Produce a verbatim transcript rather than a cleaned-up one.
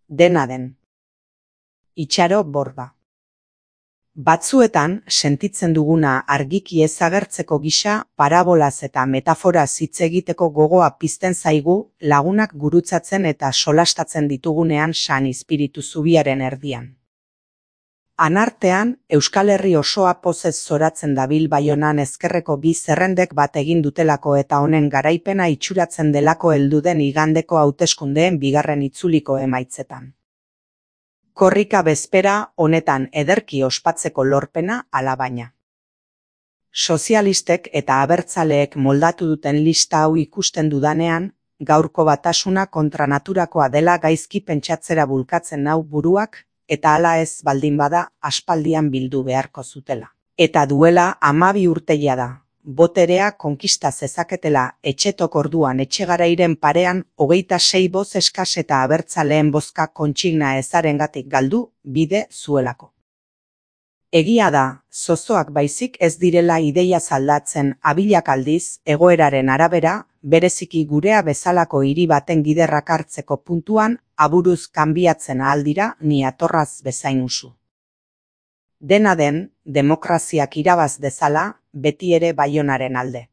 dena den. Itxaro Borba. Batzuetan, sentitzen duguna argiki ez agertzeko gisa, parabolaz eta metaforaz hitz egiteko gogoa pizten zaigu, lagunak gurutzatzen eta solastatzen ditugunean San Izpiritu zubiaren erdian. Anartean, Euskal Herri osoa pozez zoratzen dabil Baionan ezkerreko bi zerrendek bat egin dutelako eta honen garaipena itxuratzen delako heldu den igandeko hauteskundeen bigarren itzuliko emaitzetan. Korrika bezpera honetan ederki ospatzeko lorpena alabaina. Sozialistek eta abertzaleek moldatu duten lista hau ikusten dudanean, gaurko batasuna kontra naturakoa dela gaizki pentsatzera bulkatzen nau buruak, eta hala ez baldin bada aspaldian bildu beharko zutela. Eta duela hamabi urteia da, boterea konkista zezaketela etxetok orduan etxegarairen parean hogeita sei boz eskas eta abertzaleen bozka kontsigna ezarengatik galdu bide zuelako. Egia da, zozoak baizik ez direla ideia zaldatzen abilak aldiz, egoeraren arabera, bereziki gurea bezalako hiri baten giderrak hartzeko puntuan, aburuz kanbiatzen ahal dira ni atorraz bezain usu. Dena den, demokraziak irabaz dezala, beti ere Baionaren alde.